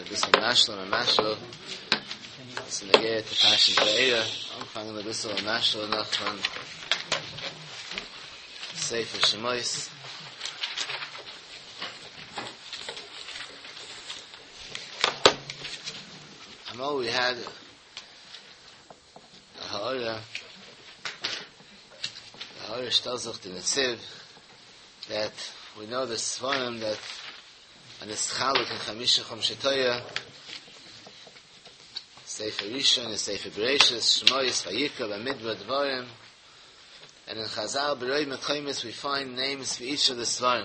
אביסל משל און משל עס איז נוגע צו פרשת וארא, אנפאנגען אביסל א משל נאך פון ספר שמות. אמאל ווי העד א הערה, די הערה שטעלט זיך די נציב דעט ווי נאו די ספרים דעט אר נתחלק אין חמשה חומשי תורה, ספר ראשון און ספר בראשית, שמות, ויקרא, במדבר, דברים, און אין חזל ברוב מקומות ווי פיינד נעימס פאר איטש אוו די ספרים,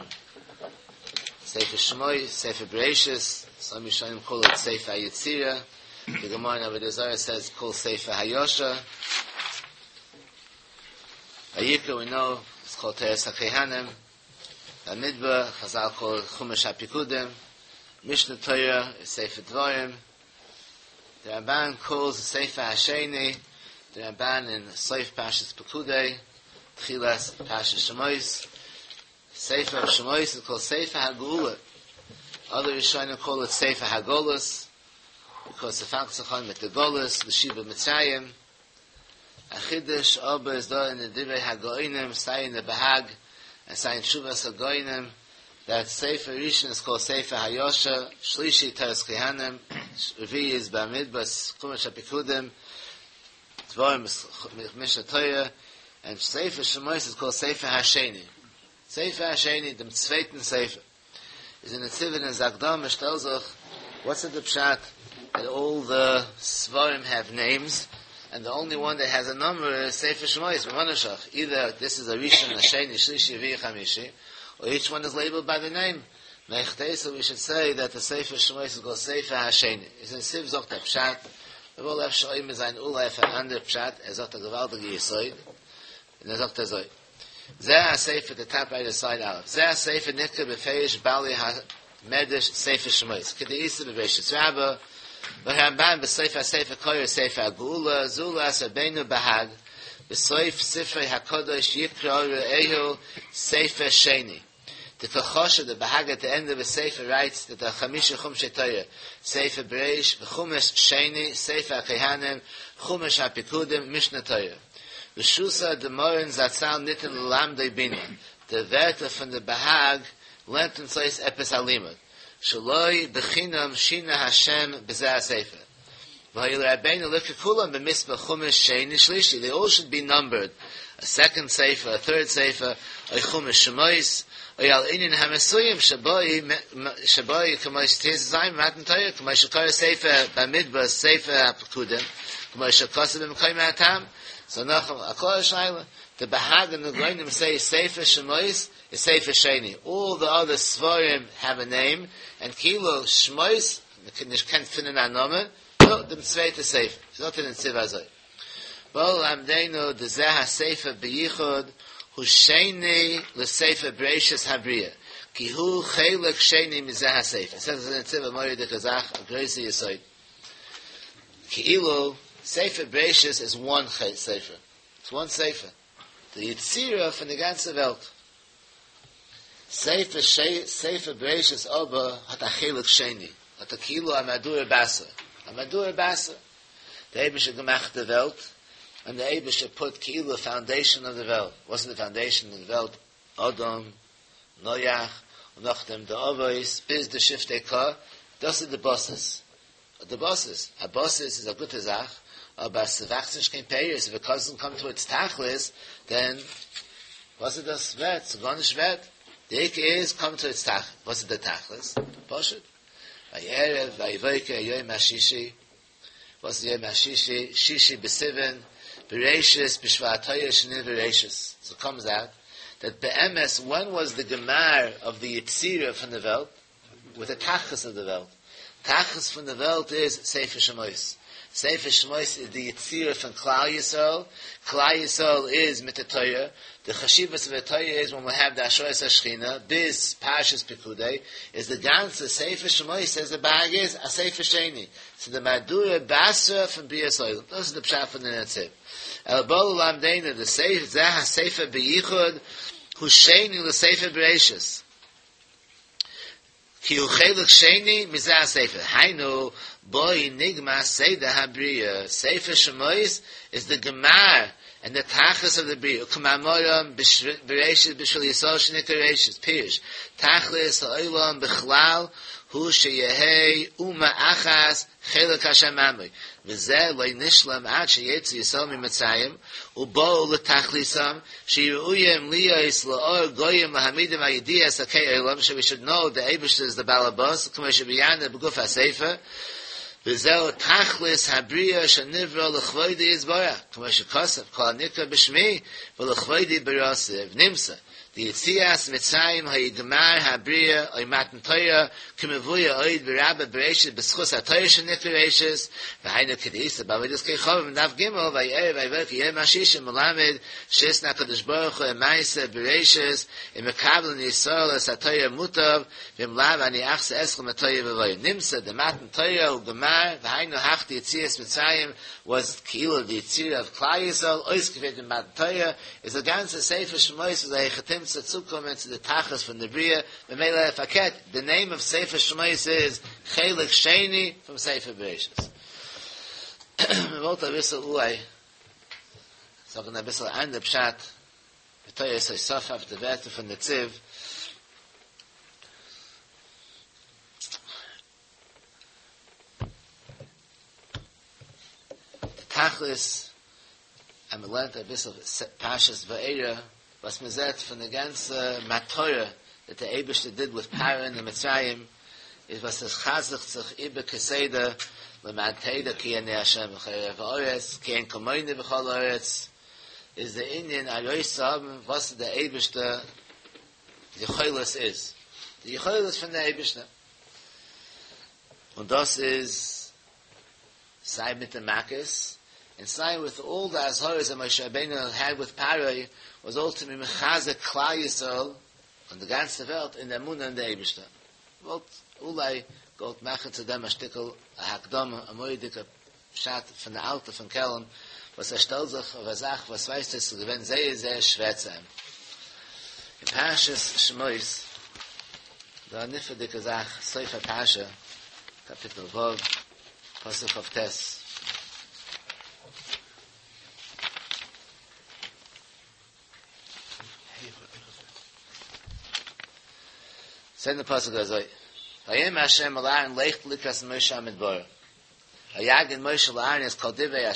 ספר שמות, ספר בראשית, סאם ראשונים קאל איט ספר היצירה, די גמרא אין עבודה זרה סעיז קאלד ספר הישר, ויקרא ווי נאו איז קאלד תורת הכהנים, במדבר, חזל קאל איט חומש הפיקודים, משנה תורה איז ספר דברים, די רמבן קאלס ספר השני, די רמבן אין סוף פרשת פקודי, תחילת פרשת שמות, ספר שמות איז קאלד ספר הגאולה, אדער ראשונים קאל איט ספר הגלות, ביקאוס ס'פאנגט זיך אן מיט די גלות, די שיעבוד מצרים, א חידוש אבער איז דא אין די דברי הגאונים סיי אין די בהג און סיי אין תשובת הגאונים דעט ספר ראשון איז קאלד ספר הישר, שלישי תורת כהנים, רביעי איז במדבר חומש הפיקודים, דברים משנה תורה, און ספר שמות איז קאלד ספר השני, ספר השני דעם צווייטן ספר. איז אין נציב אין זיין הקדמה שטעלט זיך וואטס די פשט דעט אלל די ספרים העוו נעימס ענד די אנלי וואן דעט העז א נאמבער איז ספר שמות ממה נפשך אידער דיס איז א ראשון א שני שלישי רביעי חמישי אר איטש וואן איז לעיבעלד ביי די נעים מהיכא תיתי ווי שוד סעי דעט די ספר שמות איז קאלד ספר השני איז נציב זאגט א פשט מ'וואלט אפשר עומד זיין אולי אויף אן אנדער פשט ער זאגט א געוואלדיגע יסוד און ער זאגט אזוי, זה הספר די טאפ רייט סייד א', זה הספר נקרא בפירוש בעלי המדרש ספר שמות, כדאיתא בבראשית רבה, והרמבן בסוף הספר קורא ספר הגאולה, זולת רבינו בהג, בסוף ספרו הקדוש יקרא רעהו ספר שני. דקא חשיב די בהג עט די ענד אוו די ספר רייטס דעט די חמשה חומשי תורה, ספר בראשית וחומש שני, ספר הכהנים, חומש הפיקודים, משנה תורה. רשותא דמרן זצל ניתן ללמדו בינה, די ווערטער פון די בהג לערנט אונז אויס עפעס א לימוד, שלא בחינם שינה השם בזה הספר. והיה לרבינו לקרא כולם במספר חומש שני שלישי, they all should be numbered, a second ספר, a third ספר, או חומש שמות, או על ענין המסוים שבו כמו שט"ז במתן תורה, כמו שקרא ספר במדבר ספר הפקודים, כמו שכתוב במקום הטעם. So נאך א קלארע שאלה, די בהג און די גאונים say ספר שמות איז ספר שני, all the other ספרים have a name, and כאילו שמות מ'קען נישט קען פינען א נאמען, נו, דעם צווייטע ספר, זאגט דער נציב אזוי, בא ללמדנו דזה הספר בייחוד הוא שני לספר בראשית הבריאה, כי הוא חלק שני מזה הספר, זאגט דער נציב א מורא'דיגע זאך, א גרויסע יסוד, כאילו ספר בראשית איז וואן ספר, איטס וואן ספר, די יצירה פון די גאנצע וועלט. ספר ש ספר בראשית אבער האט א חלק שני, האט א כאילו א מהדורא בתרא, א מהדורא בתרא. דער אייבערשטער האט געמאכט די וועלט, און דער אייבערשטער פוט כאילו פאונדעישאן אוו די וועלט, וואס איז די פאונדעישאן אוו די וועלט? אדם, נח, און נאכדעם די אבות, ביז די שבטי קה, דאס איז די בסיס. די בסיס, א בסיס איז א גוטע זאך, אבער אז ס'וואקסט נישט קיין פירות, איף איט דאזענט קאם טו איטס תכלית, דען וואס איז דאס ווערט? ס'איז גארנישט ווערט. די עיקר איז קאם טו איטס תכלית. וואס איז די תכלית? פשוט. ויהי ערב ויהי בוקר יום השישי. וואס איז יום השישי? שישי בסיוון, בראשית בשבטו שנברא ראשית. סאו קאמס אוט דעט באמת ווען וואס די גמר אוו די יצירה פון די וועלט? וויט די תכלית אוו די וועלט. תכלית פון די וועלט איז ספר שמות. ספר שמות איז די יצירה פון כלל ישראל, כלל ישראל איז מיט די תורה, די חשיבות פון די תורה איז ווען מיר האבן די השראת השכינה, ביז פרשת פקודי, איז די גאנצע ספר שמות סעז די ב"ג איז א ספר שני, ס'איז די מהדורא בתרא פון בריאת העולם, דאס איז די פשט פון די נציב. אלא בא ללמדנו דזה הספר בייחוד הוא שני לספר בראשית. כי הוא חלק שני מזה הספר, היינו בו נגמר סדר הבריאה, ספר שמות איז די גמר און די תכלית אוו די בריאה, וכמאמרם בראשית בשביל ישראל שנקרא ראשית, פירוש, תכלית העולם בכלל הוא שיהא אומה אחת חלק השם עמו, וזה לא נשלם עד שיצאו ישראל ממצרים ובאו לתכליתם שיהיו ראויים להיות לאור גויים להעמידם על ידיעת אלקי עולם ש we should know the אייבערשטער איז די בעל הבית כמו שביארנו בגוף הספר וזהו תכלית הבריאה שנברא לכבודו יתברך כמו שכתוב כל הנקרא בשמי ולכבודי בראתיו נמצא דיציאת מצרים היה גמר הבריאה או מתן תורה כמבואר עוד ברבה בראשית בזכות התורה שנקרא ראשית והיינו כדאיתא בעבודת כוכבים דף ג' ויהי ערב ויהי בוקר יום השישי מלמד שהתנה הקדוש ברוך הוא עם מעשה בראשית אם מקבלין ישראל את התורה מוטב ואם לאו אני אחזיר אתכם לתוהו ובוהו נמצא דמתן תורה הוא גמר והיינו הך דיציאת מצרים was כאילו די יצירה אוו כלל ישראל אויסגעפירט אין מתן תורה, איז די גאנצע ספר שמות איז א היכי תמצא צוקומען צו די תכלית פון די בריאה, ממילא פארקערט, די נעים אוו ספר שמות איז חלק שני פון ספר בראשית. מען וואלט אביסל אולי זאגן אביסל אנדער פשט בתורת הוספה אויף די ווערטער פון נציב. די תכלית אז מען לערנט אביסל פרשת וארא וואס מען זעט פון די גאנצע מטרה דעט די אייבערשטער דיד וויט פרעה אין מצרים איז וואס עס חזר'ט זיך איבער כסדר למען תדע כי אני ה' בכל הארץ כי אין כמוני בכל הארץ איז די ענין ארויסצוהאבן וואס די אייבערשטער יכולת איז די יכולת פון די אייבערשטער און דאס איז סיי מיט די מכות און סיי וויט אלל די אזהרות דעט משה רבינו העד וויט פרעה וואס אלל טו בי מחזק כלל ישראל און די גאנצע וועלט אין די אמונה אין די אייבישטער. וואלט אולי געוואלט מאכן צו דעם א שטיקל א הקדמה, א מורא'דיגע פשט פון די אלטע פון קעלם וואס ער שטעלט זיך אויף א זאך וואס ווייזט אויס ס'איז געווען זייער זייער שווער צו אים. אין פרשת שמות דא א נפלא'דיגע זאך, סוף הפרשה, קאפיטל ו', פסוק כ"ט. זעט די פסוק אזוי, ויאמר ה' אל אהרן לך לקראת משה המדברה, ויגד משה לאהרן את כל דברי ה'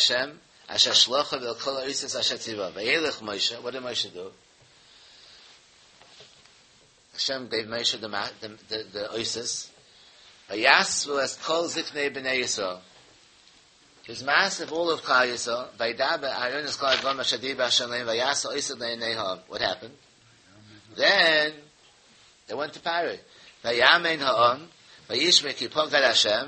אשר שלחו ואל כל האותות אשר ציווה, וילך משה, וואט דיד משה דו? השם געיוו משה די אותות, ויאספו את כל זקני בני ישראל, הי וואז מאסף אלל אוו כלל ישראל, וידבר אהרן את כל הדברים אשר דיבר השם לאמר ויעש האותות לעיני העם, וואט העפענד? דען דעי ווענט טו פרעה, ויאמן העם, וישמעו כי פקד השם,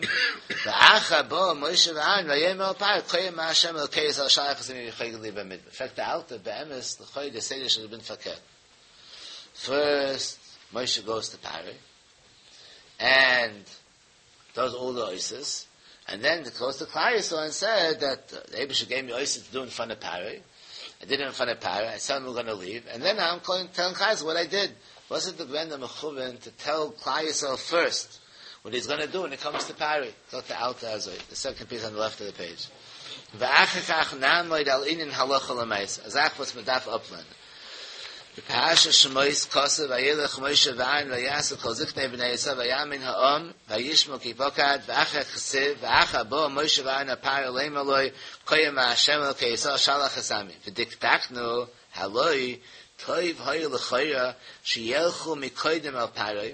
ואחר באו משה ואהרן ויאמרו אל פרעה כה אמר השם אלוקי ישראל שלח את עמי ויחוגו לי במדבר, פרעגט די אלטע באמת לכאו' די סדר שוד העוו בין פארקערט, פירסט משה גאוס טו פרעה ענד דאז אלל די אותות, ענד דען הי גאוס טו כלל ישראל ענד סעד דעט די אייבישטער געיוו מי אותות טו דו אין פראנט אוו פרעה, איי דיד איט אין פראנט אוו פרעה, איי טעל אים ווער גאנא ליוו, ענד דען איים גאוינג טעלינג כלל ישראל וואט איי דיד, וואס איז דא געווען די מכוון טו טעל כלל ישראל פירסט וואט היז גאנא דו ווען הי קאמס טו פרעה, זאגט די אלטע אזוי, די סעקאנד פיס אן די לעפט אוו די פעידזש, ואחר כך נעמוד על ענין הלכה למעשה, א זאך וואס מען דארף אפלערנען. בפרשת שמות כתוב וילך משה ואהרן ויאסף כל זקני בני ישראל ויאמן העם וישמעו כי פקד ואחר כתיב ואחר באו משה ואהרן אל פרעה לאמר לו כה אמר ה' אלוקי ישראל שלח את עמי ודקדקנו הלא טוב היה לכאורה שילכו מקודם אל פרעה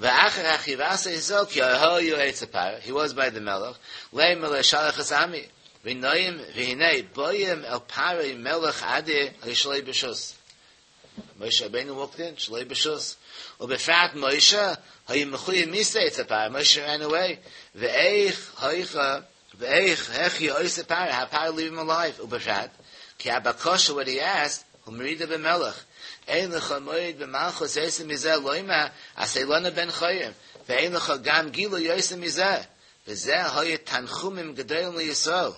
ואחר כך יבשר ישראל כי היו אצל פרעה he was by the מלך לאמר לו שלח את עמי ונוים והנה באים אל פרעה מלך אדיר שלא ברשות. משה רבינו וואלקט אין שלא ברשות. ובפרט משה היה מחויב מיתה אצל פרעה, משה רען אוועי. ואיך היכה. ואיך היכי עושה פרעה, how פרעה leave him alive, ובפרט, כי הבקשה what he asked, הוא מרידה במלך, אין לך מורד במלכות יותר מזה לומר, עשה לנו בן חורין, ואין לך גם גילוי יותר מזה, וזה היה תנחומים גדולים לישראל.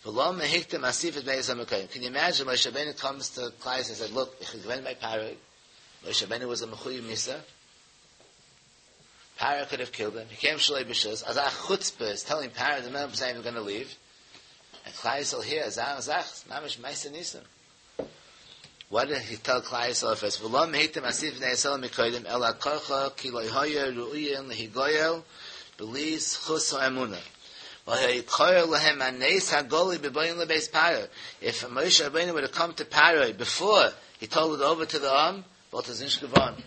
ולמה הקדים אסיפת בני ישראל מקודם. Can you imagine Moshe Rabbeinu comes to Klai and said, look, ich gewinn bei Paroi. Moshe Rabbeinu was a mechuyev misa. Paro could have killed him. He came shalei b'shus. As a chutzpah is telling Paro the man saying we're going to leave. And Klai Yisrael here, Azar Azach, Mamish Maisa Nisim. What did he tell Klai Yisrael first? V'lo mehitim asif b'nei Yisrael mikodim el ha'korcha ki lo hoya ru'uyin lehigoyel b'li zchus ha'emunah. If Moshe Rabbeinu would have come to Paro before he told it over to the Am, what is nicht geworden?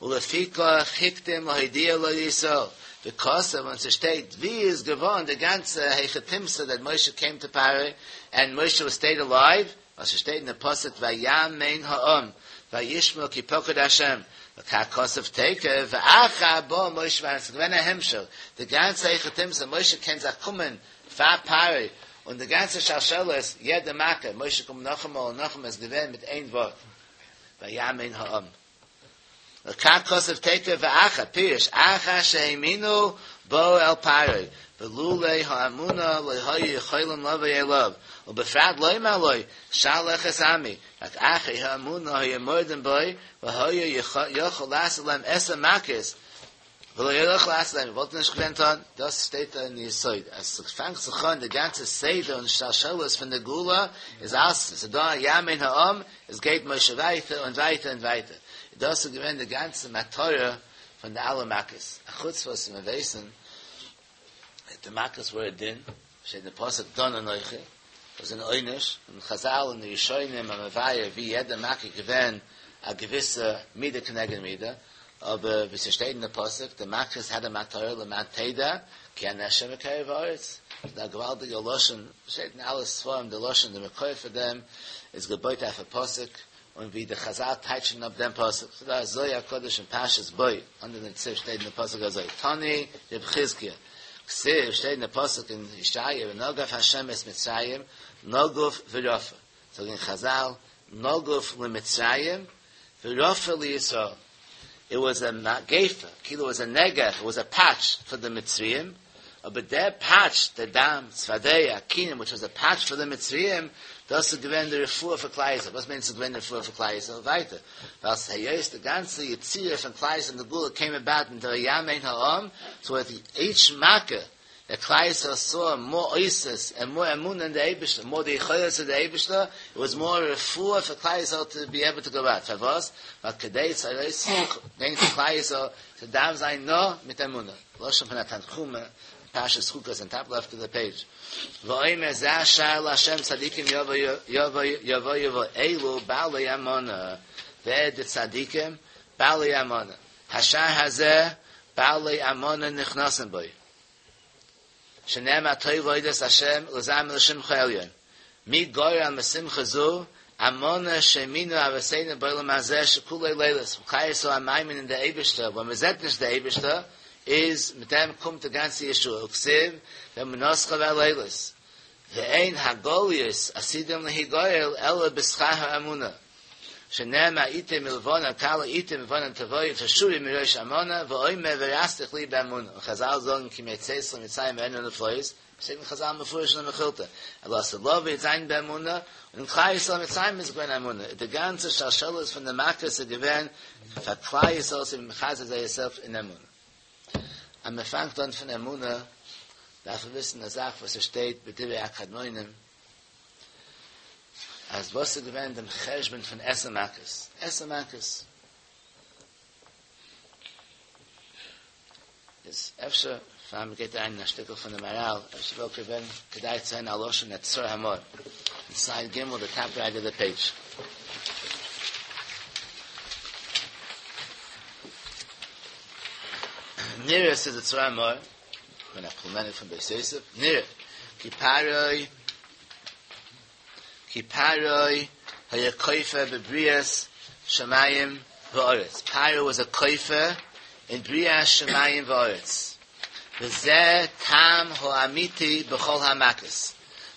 Ulefika hiktim lahidia lo Yisrael. Because when es steht, wie is geworden, the ganze Heichatimsa that Moshe came to Paro, and Moshe was stayed alive, as es steht in the Pasuk, Vayamein ha'am, Vayishmo ki poked Hashem. V'kakosef teke, v'acha bo Moshe v'anis, gewinn a Hemshel. The ganze Heichatimsa, Moshe kennt sich kommen, fa Paro, und the ganze Shalsheles, jede Macke, Moshe kommt noch einmal und noch einmal, es gewinn mit ein Wort. Vayamein ha'am. Kakosef teke v'acha, pirish, acha she'eminu bo el paroi, v'lulei ha'amuna lehoyu yicholim love yelov, u'befrat loy maloi, shalech es ami, rak acha ha'amuna ha'yemordem boi, v'hoyu yochol lasalem esa makis, v'lo yochol lasalem, wollte nicht gewinnt han, das steht da in die Yisoid. Es fängt sich an, die ganze Seder und Shalshelos von der Gula, ist alles, es ist da, Yamin ha'am, es geht Moshe weiter und weiter und weiter. Das ist gewinn die ganze Materie von der alle Makkes. A chutz was wir wissen, die Makkes were din, steht in der Pasuk Don Anoichi, was in Oynish, und Chazal und die Rishonim am Avaya, wie jeder Makke gewinn, a gewisse Miede knegen Miede, aber wie es steht in der Pasuk, die Makkes had a Materie, le Mateda, ki an Hashem v'kerev haaretz. Da gewaltige Loschen, steht in alles Sforim, der Loschen, der Mekoy für dem, ist gebeut auf a Pasuk, und wie der Chazal teitschen auf dem Pasuk. So da ist Zoya Kodesh und Pashas Boy, under den Ziff steht in der Pasuk also, Tani, Reb Chizkiah. Ksiv steht in der Pasuk in Yishaya, Nogaf Hashem es Mitzrayim, Noguf v'Rofa. So in Chazal, Noguf l'Mitzrayim, v'Rofa l'Yisrael. It was a gefa, kilo was a negef, it was a patch for the Mitzrayim, but their patch, the dam, Tzvadeya, Kinim, which was a patch for the Mitzrayim, das ist gewinn der Refuah für Klai Yisrael. Was means gewinn der Refuah für Klai Yisrael? Weiter. Weil es heißt, the ganze Yetzirah von Klai Yisrael and the Gula came about in the Yamein Ha'am, so at each Makkah, the Klai Yisrael saw more Oisis and more Emunah in the Eibishter, more the Yechoyos of the Eibishter, it was more Refuah for Klai Yisrael to be able to go out. For was? Weil Kedei Tzaros, denkt Klai Yisrael, to dam sein no mit Emunah. Loshem von Tanchuma, Pashas Chukas, on top left of the page. V'oimer zeh shar l'Hashem tzadikim yavo yavo yavo yavo elu ba'alei amona. Ve'ed tzadikim ba'alei amona. Hashar hazeh ba'alei amona nichnasim boi. Shenem atoy voides Hashem l'zam l'shem chayelyon. Mi goyer al mesimcha zu amona sheminu avaseinu b'olam hazeh shekulei leilis. V'chayiso amaymin in the Eibishter. When we zet nish the Eibishter, is mit dem kommt der ganze Yeshua. Uksiv, der Menoscha ve'leilis. Ve'ein hagolius asidim lehigoyel ela b'schar ha'amuna. Shenem ha'ite milvona, kala ite milvona tavoy, tashuri mirosh amona, ve'oime ve'rastich li b'amuna. Chazal zogen ki meitzeis l'mitzayim ve'enu neflois, Segen Chazal mefurish in the Mechilta. Ela selove yitzayin b'amuna, und Klai Yisrael mitzayim is gwen amuna. The ganze shalshelos from the Makkah is given, for Klai Yisrael si mechazah yourself in amuna. Am fangt an von Emuna, darf wir wissen, dass auch, was es steht, bei Divrei Akadmoinim, als was sie gewähnt dem Cheshbon von Esamakis. Esamakis. Ist öfter, vor allem geht ein Stückel von dem Maral, öfter will gewähnt, gedei zu ein Aloschen, et Tzor Hamor. Inside Gimel, the top right of the page. Nira says the Tzor Hamor, when I implemented from Beis Yosef, Nira, ki paroi, ki paroi, haya koife bebrias shamayim v'oretz. Paro was a koife in brias shamayim v'oretz. וזה טעם האמיתי בכל המכות,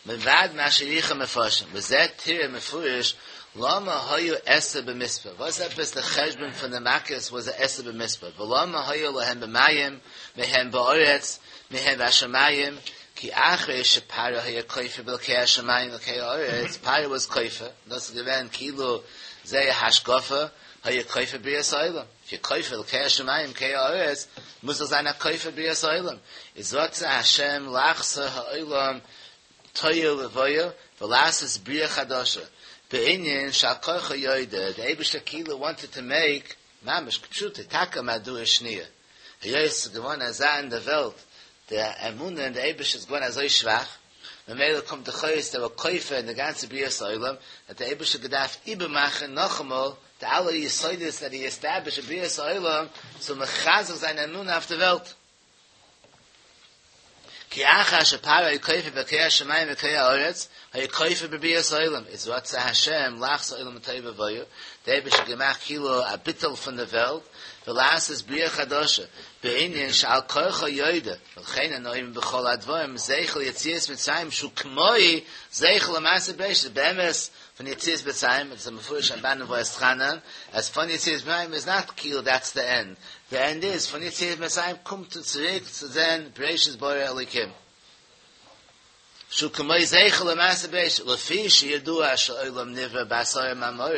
מלבד מה שהאריכו מפרשים, וזה תראה מפורש למה היו עשר במספר, וואס עפעס די חשבון פון די מכות וואס עשר במספר, ולמה היו להם במים, מהם בארץ, מהם בשמים, כי אחרי שפרעה היה כופר באלקי השמים ואלקי הארץ, פרעה וואס כופר, דאס איז געווען כאילו זייער השקפה, היה כופר בריאת העולם. איף יור כופר אלקי השמים אלקי הארץ, מוז דאך זיין א כופר בריאת העולם. איז רצה השם לחזור העולם תוהו ובוהו ולעשות בריאה חדשה, בענין שעל כרחו יודה, די אייבערשטער כאילו וואנטעד טו מעיק ממש כפשוטו טאקע מהדורה שניה, היות ס'איז געווארן אזא אין די וועלט, די אמונה אין די אייבערשטער איז געווארן אזוי שוואך, ממילא קומט דאך אויס דעי ווער כופר אין די גאנצע בריאת העולם, האט דער אייבערשטער געדארפט איבערמאכן נאכאמאל די אלע יסודות דעט הי עסטעבלישט אין בריאת העולם צו מחזק זיין אמונה אויף די וועלט. כי אחר שפרעה היה כופר באלקי השמים ואלקי הארץ, היה כופר בבריאת העולם, איז רצה השם לחזור העולם לתוהו ובוהו, דער אייבערשטער האט געמאכט כאילו א ביטול פון די וועלט, ולעשות בריאה חדשה, בענין שעל כרחו יודה, ולכן אנו אומרים בכל הדברים זכר ליציאת מצרים שהוא כמו זכר למעשה בראשית, באמת פון יציאת מצרים, איטס א מפורש רמב"ן אין ואתחנן, אז פון יציאת מצרים איז נאט כאילו דעטס די ענד, די ענד איז פון יציאת מצרים קומט צוריק צו זען בראשית ברא אלוקים. שהוא כמו זכר למעשה בראשית, לפי שידוע שהעולם נברא בעשרה מאמרות,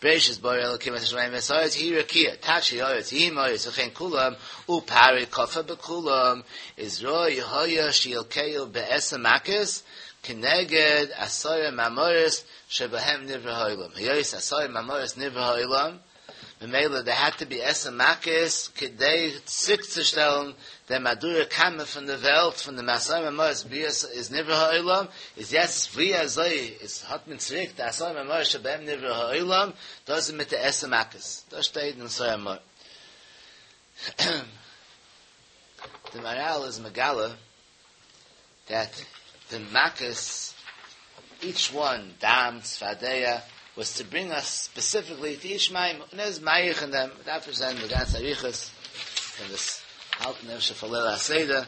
בראשית ברא אלוקים את השמים ואת הארץ, יהי רקיע, תפשט הארץ, יהי מאורות, וכן כולם, ופרעה כפר בכולם, איז ראוי היה שילקהו בעשר מכות, כנגד עשרה מאמרות שבהם נברא העולם. היות עשרה מאמרות נברא העולם, ממילא דער העד טו בי עשר מכות כדי צוריקצושטעלן דעם מהדורא קמא פון די וועלט פון דעם עשרה מאמרות בריאת איז נברא העולם, איז יעצט ווי אזוי איז האט מען צוריק די עשרה מאמרות שבהם נברא העולם, דאס איז מיט די עשר מכות, דאס שטייט אין סור אמור. די מהר"ל איז מגלה דעט די מכות איטש וואן דם צפרדע וואס טו ברינג אס ספעסיפיקלי טו איטש מאמר און ער איז מאריך אין דעם מ'דארף נישט זען די גאנצע אריכות קען דאס האלטן אפשר פאר ליל הסדר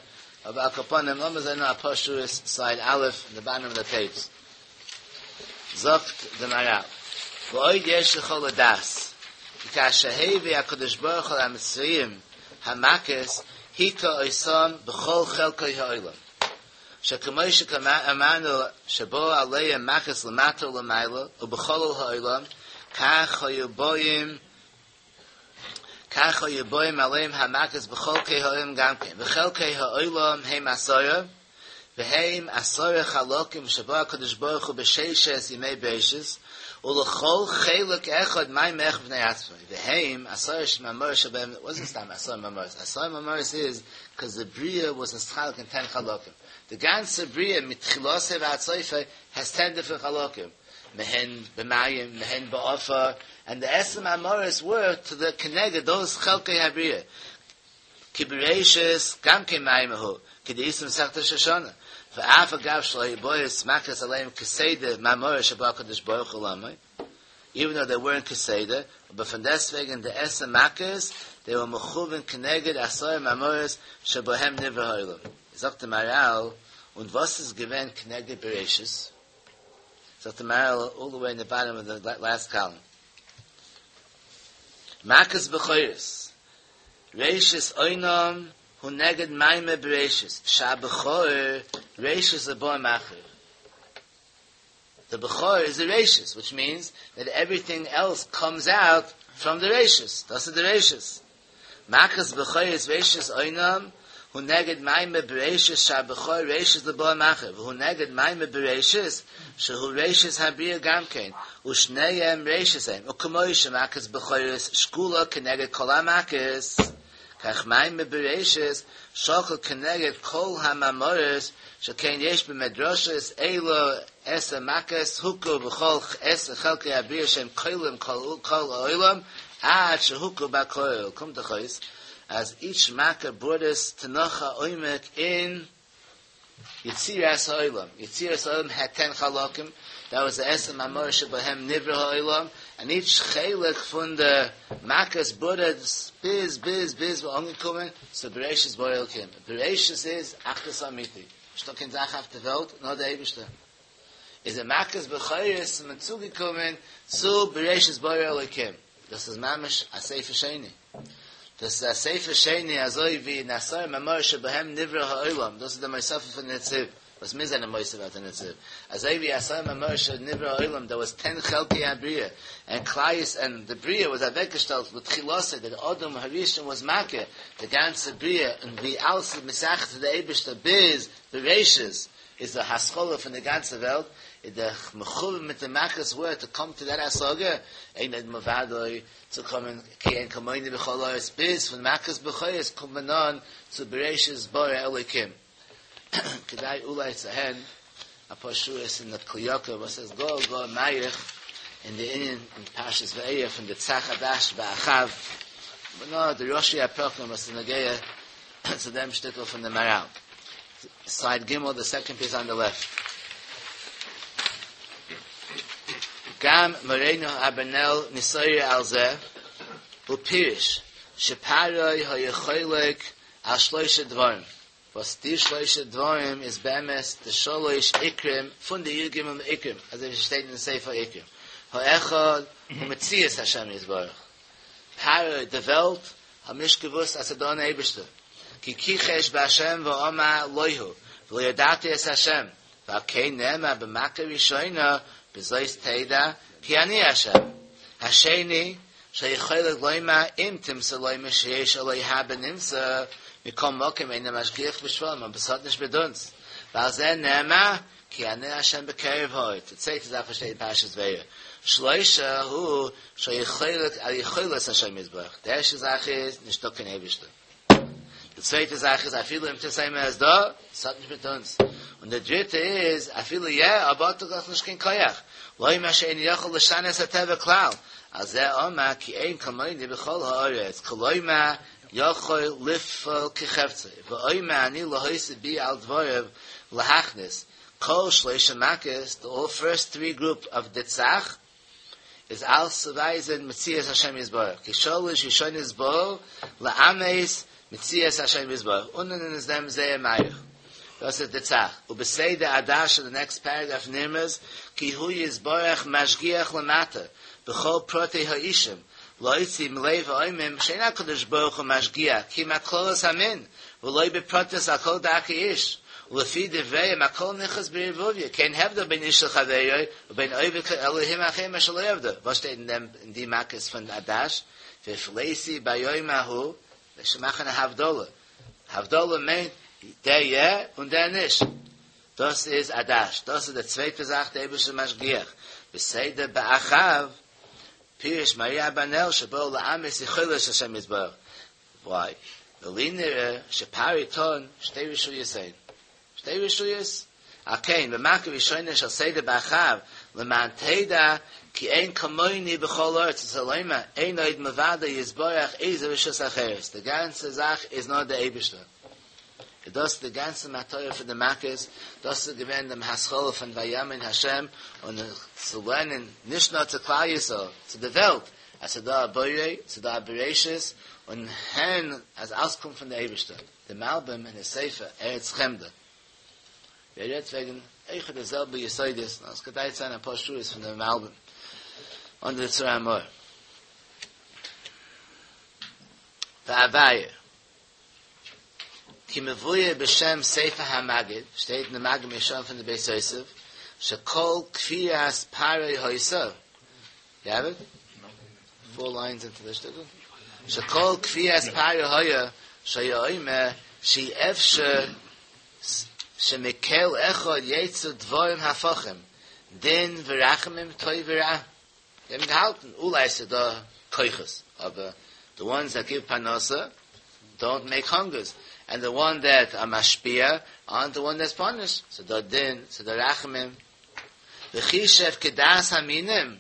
אבער על כל פנים לאמיר זען נאר אפאר שורות סייד א' אין די באטאם אוו די פעידזש זאגט די מהר"ל ועוד יש לך לדעת כי כאשר הביא הקדוש ברוך הוא למצרים המכות היכה אותם בכל חלקי העולם, שכמו שאמרנו שבאו עליהם מכות למטה ולמעלה ובחלל העולם, כך היו באים כך היו באים עליהם המכות בכל חלקי העולם גם כן, וחלקי העולם הם עשרה, והם עשרה חלקים שברא הקדוש ברוך הוא בששת ימי בראשית, ולכל חלק אחד מאמר אחד בפני עצמו, והם עשרה מאמרות שבהם, wasn't סתם עשרה מאמרות, עשרה מאמרות איז because the בריאה was נתחלק in 10 חלקים. The גאנצע בריאה מתחילתו ועד סופו has 10 different חלקים. מהן במים, מהן בעפר, and the עשר מאמרות were to the כנגד those חלקי הבריאה. כי בראשית גם כן מאמר הוא, כדאיתא במסכת ראש השנה. ואף אגב שלא היו באות מכות עליהם כסדר מאמרות שברא הקדוש ברוך הוא עולמו, even though they weren't כסדר, but פון דעסטוועגן די עשר מכות, they were מכוון כנגד עשרה מאמרות שבהם נברא העולם. זאגט די מהר"ל, און וואס איז געווען כנגד בראשית? זאגט די מהר"ל all the way in the bottom of the last column. מכת בכורות, ראשית אונם הוא נגד מאמר בראשית, שהבכור ראשית לבאים אחריו. The בכור is the ראשית, which means that everything else comes out from the ראשית. דאס איז the ראשית. מכת בכורות ראשית אונם הוא נגד מאמר בראשית שהבכור ראשית לבאים אחריו, והוא נגד מאמר בראשית שהוא ראשית הבריאה גם כן, ושניהם ראשית הם, וכמו שמכת בכורות שקולה כנגד כל המכות, כך מאמר בראשית שקול כנגד כל המאמרות, שכן יש במדרשות אלו עשר מכות הוכו בכל עשר חלקי הבריאה שהם כוללים כל כל העולם עד שהוכו בכל, קומט דאך אויס אז each מכה brought us to נאך א עומק אין. יצירת העולם, יצירת העולם העד טען חלקים, דעט וואס די עשר מאמרות שבהם נברא העולם, און איטש חלק פון די מכות ברד ביז ביז ביז מ'איז אנגעקומען צו בראשית ברא אלקים, בראשית איז אחדות אמיתי, נישטא קיין זאך אויף די וועלט נאר די אייבישטער, איז די מכות בכורות איז מען צוגעקומען צו בראשית ברא אלקים, דאס איז ממש א ספר שני. דאס איז א ספר שני אזוי ווי אין עשרה מאמרות שבהם נברא העולם, דאס איז די מוספה פון נציב, וואס מיר זענען מוסיף אויף די נציב, אזוי ווי עשרה מאמרות שנברא העולם דער וואס טען חלקי הבריאה, און כלל יש און די בריאה וואס אוועקגעשטעלט לתחילתו דער אדם הראשון וואס מכיר די גאנצע בריאה און ווי אלעס איז מתייחס צו די אייבערשטער ביז בראשית איז די התחלה פון די גאנצע וועלט, איז די מכוון מיט די מכות ווער טו קאם טו דעט השגה, אין עוד מלבדו צו קומען כי אין כמוני בכל הארץ ביז פון מכת בכורות קומט מען אן צו בראשית ברא אלוקים. כדאי אולי צו הערן אפאר שורות אין די כלי יקר וואס איז גאר גאר מאריך אין די ענין אין פרשת וארא פון דצ"ך עד"ש באח"ב, אבער נאר די ראשי הפרקים וואס איז נוגע צו דעם שטיקל פון די מהר"ל. סייד ג' די סעקאנד פיס אן די לעפט. גם מורינו אברנאל נתעורר על זה ופירש שפרעה היה חולק על שלושה דברים, וואס די שלושה דברים איז באמת די שלוש עיקרים פון די י"ג עיקרים, אזוי ווי ס'שטייט אין ספר עיקרים, האחד הוא מציאות השם יתברך, פרעה די וועלט האט נישט געוואוסט אז ס'דא אן אייבערשטער, כי כיחש בהשם ואמר לא הוא, ולא ידעתי את השם, ועל כן נאמר במכה ראשונה בזאת תדע כי אני השם. השני, שהיה חולק לומר אם תמצא לומר שיש אלוה בנמצא, מכל מקום אינו משגיח בשפלים אבער ס'האט נישט מיט אונז, ועל זה נאמר כי אני השם בקרב האור, די צווייטע זאך וואס שטייט אין פרשת וארא, שלושה הוא שהיה חולק על יכולת השם יתברך, די ערשטע זאך איז נישטא קיין אייבערשטער, די צווייטע זאך איז אפילו אם תמצא לומר אז דא, ס'האט נישט מיט אונז, און די דריטע איז אפילו יא, אבער האט דאך נישט קיין כח, לומר שאינו יכול לשנות הטבע כלל, על זה אמר כי אין כמוני בכל הארץ, כלומר יכול לפעול כחפצו, ואומר אני להוסיף בי על דבריו להכניס כל שלושה מכות, די אלל פירסט טרי גרופ אוו דצ"ך איז אלס צו ווייזען מציאות השם יתברך, כי שלש ראשונות באו לאמת מציאות השם יתברך, און און איז דעם זייער מאריך. דאס איז דצ"ך, ובסדר עד"ש די נעקסט פערעגרעף נרמז כי הוא יתברך משגיח למטה בכל פרטי האישים להוציא מלב האומרים שאין הקדוש ברוך הוא משגיח כי אם על כללות המין ולא בפרטיות על כל דרכי איש ולפי דבריהם הכל נכנס בערבוביה כי אין הבדל בין איש לחבירו ובין עובד אלהים אחרים אשר לא עבדו וואס שטייט אין דעם אין די מכות פון עד"ש והפליתי ביום ההוא זיי מאכן א הבדלה הבדלה מיינט דער יא און דער נישט דאס איז עד"ש דאס איז די צווייטע זאך די אייבערשטער משגיח בסדר באח"ב פירש מהר"י אברבנאל שבאו לאמת יכולת השם יתברך. וויי? ולי נראה שפרעה טען שתי רשויות הן. שתי רשויות? על כן במכה ראשונה של סדר באח"ב למען תדע כי אין כמוני בכל הארץ רוצה לומר אין עוד מלבדו יתברך איזה רשות אחרת די גאנצע זאך איז נאר די אייבישטער. איז דאס די גאנצע מטרה פון די מכות, דאס איז געווען דעם התחלה פון וימין השם, און צו לערנען נישט נאר צו כלל ישראל, צו די וועלט, אז ס'איז דא א בורא, ס'איז דא א בראשית, און הערן אז אלס קומט פון די אייבערשטער, די מלבים אין די ספר ארץ חמדה, ווי ער רעדט וועגן אויכעט די זעלבע יסודות, נאר עס כדאי צו זען אפאר שורות פון די מלבים און די צור המור. ואבאר. כי מבואר בשם ספר המגיד, שטייט אין די מגיד מישרים פון די בית יוסף, שכל כפיית פרעה היתה, יו העוו איט? פאר ליינס אינטו די שטיקל, שכל כפיית פרעה היה שהיה אומר שאי אפשר שמקל אחד יצאו דברים הפכים, דין ורחמים טוב ורע. זיי האבן געהאלטן אולי ס'איז דא כוחות, אבער די וואנס דעט גיוו פרנסה דאונט מעיק האנגערס, ענד די וואן דעט אר משפיע ארנט די וואן דעטס פאנישד, ס'איז דא דין, ס'איז דא רחמים. וחישב כדעת המינים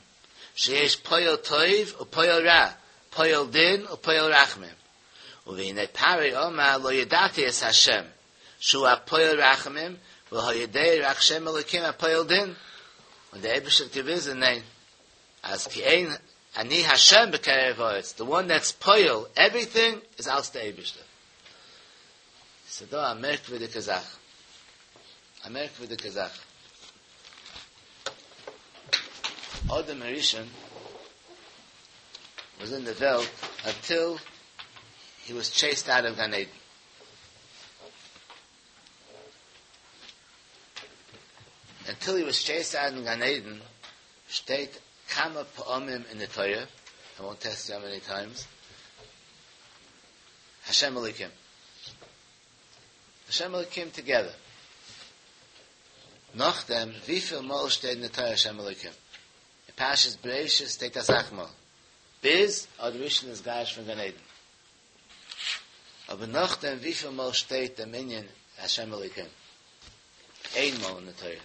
שיש פועל טוב ופועל רע, פועל דין ופועל רחמים. והנה פרעה אמר לא ידעתי את ה' שהוא הפועל רחמים. והיודע רק שם אלוקים הפועל דין, און דער אייבערשטער האט געוויזן ניין, אז כי אין אני השם בקרב הארץ, די וואן דעטס פועל עווריטינג איז אלץ דער אייבערשטער. ס'דא א מערקווירדיגע זאך, א מערקווירדיגע זאך. אדם הראשון וואס אין די וועלט אנטיל הי וואס טשעיסד אוט אוו גן עדן. אנטיל הי וואס טשעיסד אוט אין גן עדן שטייט כמה פעמים אין די תורה, איי וואנט טעסט יו האו מעני טיימס, השם אלוקים. השם אלוקים טוגעדער. נאכדעם וויפיל מאל שטייט אין די תורה השם אלוקים? אין פרשת בראשית שטייט אסאך מאל, ביז אדם הראשון איז גרש פון גן עדן. אבער נאכדעם וויפיל מאל שטייט דעם ענין השם אלוקים? איין מאל אין די תורה.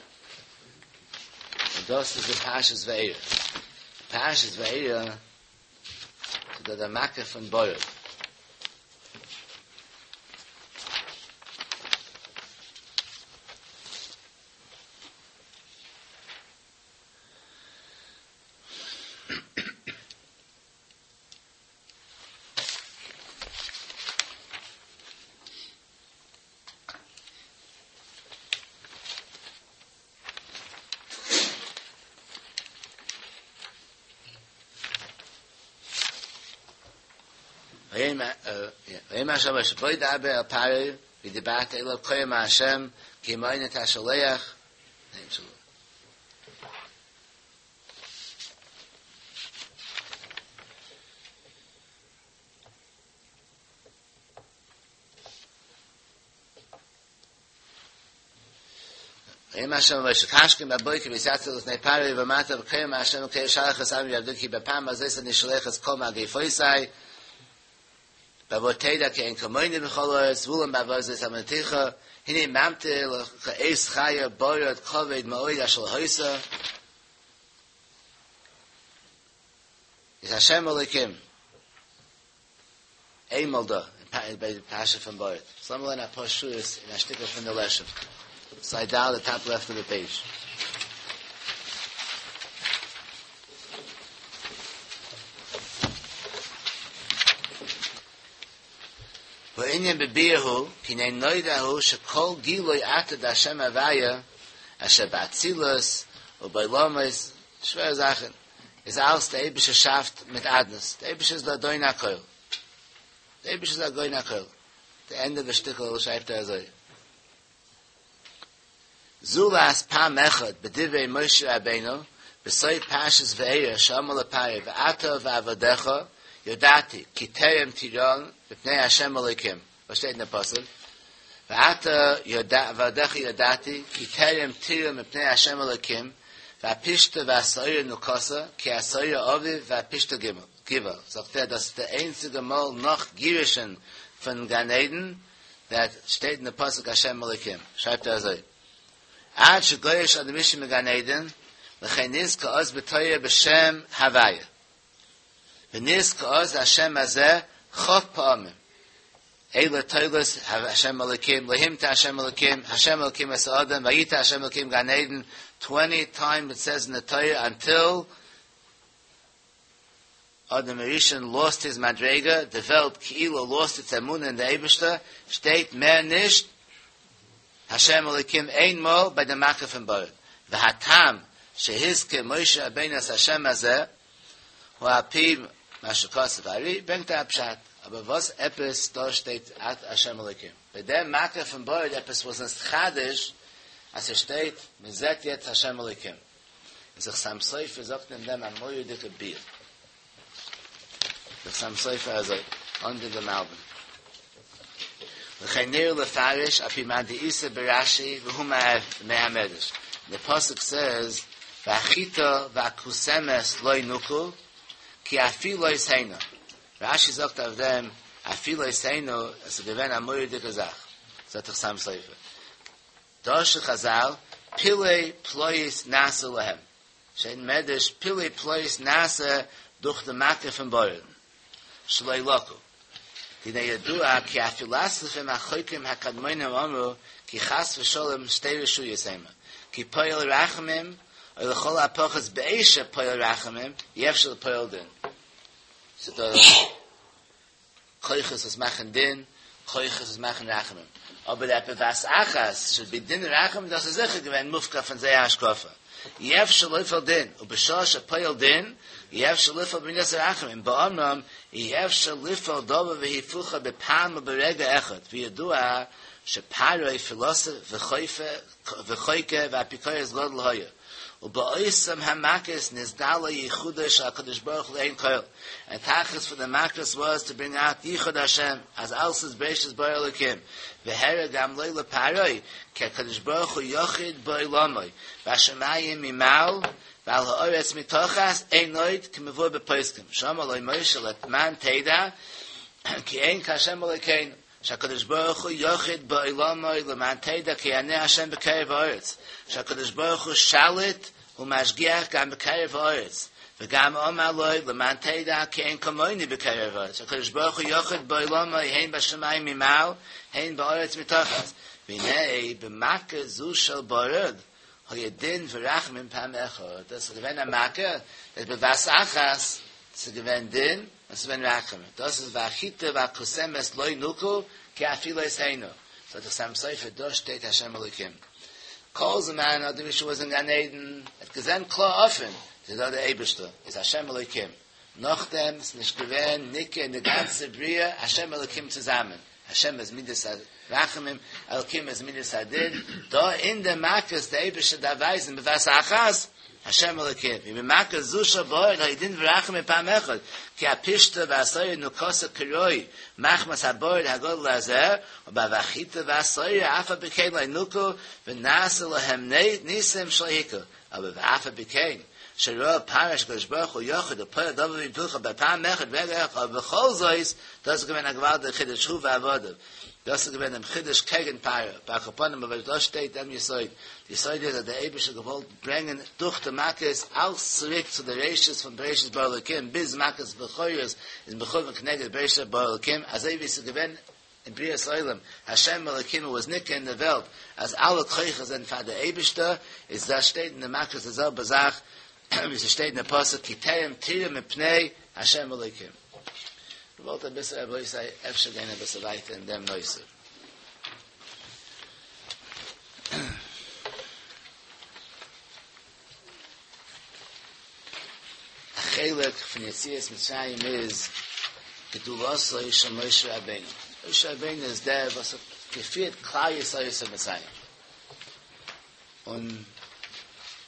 און דאס איז אין פרשת וארא. פרשת וארא איז דא דער מכה פון ברד. ויאמר ה' אל משה בא דבר אל פרעה ודיברת אליו כה אמר השם כי המעון תשלח ויאמר השם אל משה השכם בבוקר והתיצבת לפני פרעה ואמרת אליו כה אמר השם אלוקי שלח את עמי ויעבדוני כי בפעם הזאת אני שולח את כל מגפותי בעבור תדע כי אין כמוני בכל הארץ ואולם בעבור זאת אמרתיך הנה ממטיר לך עת חיה ברד כבד מאוד אשר לא היתה איז השם אלוקים איינמאל דא אין ביי די פרשה פון ברד. סאו לאמיר לערנען אפאר שורות אין א שטיקל פון די לשם. סייד ד' די טאפ לעפט אוו די פעידזש. והענין בביאור הוא, כי הנה נודע הוא שכל גילוי אתה דהשם הוויה אשר באצילות ובעולמות, שווערע זאכן. איז אלץ דער אייבערשטער שאפט מיט אדנות, דער אייבערשטער איז דער אדון הכל, דער אייבערשטער איז אדון הכל, די ענדע פון שטיקל שרייבט ער אזוי, זולת פעם אחד בדברי משה רבינו בסוף פרשת וארא שאמר לפרעה ואתה ועבדיך ידעתי כי טרם תיראון מפני ה' אלוקים, וואס שטייט אין די פסוק? ואתה ועבדיך ידעתי כי טרם תיראו מפני ה' אלוקים והפשתה והשעורה נוקתה כי השעורה אביב והפשתה גבעה זאגט ער דאס איז די איינציגע מאל נאך גירושין פון גן עדן דעט שטייט אין די פסוק השם אלוקים שרייבט ער אזוי עד שגורש אדם הראשון מגן עדן לכן נזכר אז בתורה בשם הוויה ונזכר אז השם הזה כ' פעמים אלה תולדות השם אלוקים, לא המטיר השם אלוקים, השם אלוקים את האדם, ויטע השם אלוקים גן עדן, טווענטי טיימס איט סעיז אין די תורה אנטיל אדם הראשון לאסט היז מדריגה, די וועלט כאילו לאסט איטס אמונה אין די אייבערשטער, שטייט מער נישט השם אלוקים איין מאל ביי די מכה פון ברד, והטעם שהזכיר משה רבינו את השם הזה הוא על פי מה שכתב הארי, ברענגט ער א פשט, אבער וואס עפעס דא שטייט את השם אלוקים? ביי דעם מכה פון ברד עפעס וואס נתחדש אז ס'שטייט מען זעט יעצט השם אלוקים? איז דער חתם סופר זאגט אין דעם א מורא'דיגע ביאור. דער חתם סופר אזוי, אנדער די מלבים. וכן נראה לפרש על פי מאן דאיתא ברש"י והוא מהמדרש. די פסוק סעז והחיטה והכוסמת לא נוקו כי אפילות הנה. רש"י זאגט אויף דעם אפילות הנה עס איז געווען א מורא'דיגע זאך. זאגט דער חתם סופר. דרשו חז"ל פלאי פלאות נעשו להם. שטייט אין מדרש פלאי פלאות נעשה דורך די מכה פון ברד שלא לקו. והנה ידוע כי הפילוסופים החוקרים הקדמונים אמרו. כי חס ושלום שתי רשויות המה, כי פועל רחמים, או לכל הפחות בעת שפועל רחמים, אי אפשר לפועל דין. ס'דא כוחות וואס מאכן דין, כוחות וואס מאכן רחמים. אבער דער בבת אחת should be דין רחמים, דאס איז זיכער געווען מופקע פון זייער השקפה. אי אפשר לפעול דין, ובשעה שפועל דין, אי אפשר לפעול במידת הרחמים, באומרם, אי אפשר לפעול דבר והיפוכו בפעם וברגע אחד, וידוע שפרעה פילוסוף וחוקר ואפיקורס גדול היה. ובאותם המכות נתגלה ייחודו של הקדוש ברוך הוא לעין כל, and תכלית פון די מכות was to bring out ייחוד השם, אז אלס איז בראשית ברא אלקים, והראה גם לו לפרעה, כי הקדוש ברוך הוא יחיד בעולמו, בשמים ממעל, ועל הארץ מתחת, אין עוד כמבואר בפוסקים, שאמר לו משה למען תדע, כי אין כהשם אלוקינו. שהקדוש ברוך הוא יחיד בעולמו למען תדע כי אני השם בקרב הארץ, שהקדוש ברוך הוא שליט ומשגיח גם בקרב הארץ, וגם אמר לו למען תדע כי אין כמוני בקרב הארץ, שהקדוש ברוך הוא יחיד בעולמו הן בשמים ממעל הן בארץ מתחת, והנה במכה זו של ברד היה דין ורחמים פעם אחד, דאס איז געווען א מכה, בבת אחת, ס'איז געווען דין, און ס'איז געווען רחמים. דאס איז והחיטה והכוסמת לא נוכו כי אפילות הנה. זאגט דער חתם סופר, דא שטייט השם אלוקים. כל זמן אדם הראשון was אין גן עדן, האט געזען קלאר אפען, ס'איז דא דער אייבערשטער, איז השם אלוקים. נאכדעם איז נישט געווען ניכר אין די גאנצע בריאה השם אלוקים צוזאמען. השם איז מידת הרחמים, אלוקים איז מידת הדין, דא אין די מכות די אייבערשטער דארף ווייזן בבת אחת, השם אלוקים, ובמכה זו של ברד היה דין ורחמים פעם אחד, כי הפשתה והשעורה נוכתה כראוי, מחמת הברד הגדול הזה, ובהחיטה והשעורה אף על פי כן לא נוכו, ונעשה להם ניסים שלא הכירו, אבער ואף על פי כן, שראה פרעה שהקדוש ברוך הוא יחיד ופועל דבר והיפוכו בפעם אחד ברגע אחד, אבער בכל זאת, דאס איז געווען א געוואלדיגע חידוש הוא ועבדיו, דאס איז געווען דעם חידוש קעגן פרעה, ועל כל פנים אבער דא שטייט דעם יסוד, די יסוד איז אז דער אייבערשטער האט געוואלט ברענגען דורך די מכות אלס צוריק צו די ראשית פון בראשית ברא אלקים ביז מכת בכורות איז מכוון כנגד בראשית ברא אלקים אזוי ווי עס איז געווען אין בריאת העולם, השם אלקים was ניכר אין די וועלט אז אלע כוחות זענען פאר די אייבישטער, איז דאס שטייט אין די מכות די זעלבע זאך ווי ס'שטייט אין די פסוק כי טרם תראו מפני השם אלקים. געוואלט אביסל רבותי אפשר גיין אביסל ווייטער אין דעם נושא. א חלק פון יציאת מצרים איז גדולתו של משה רבינו. משה רבינו איז דער וואס האט געפירט כלל ישראל יוצא מצרים. און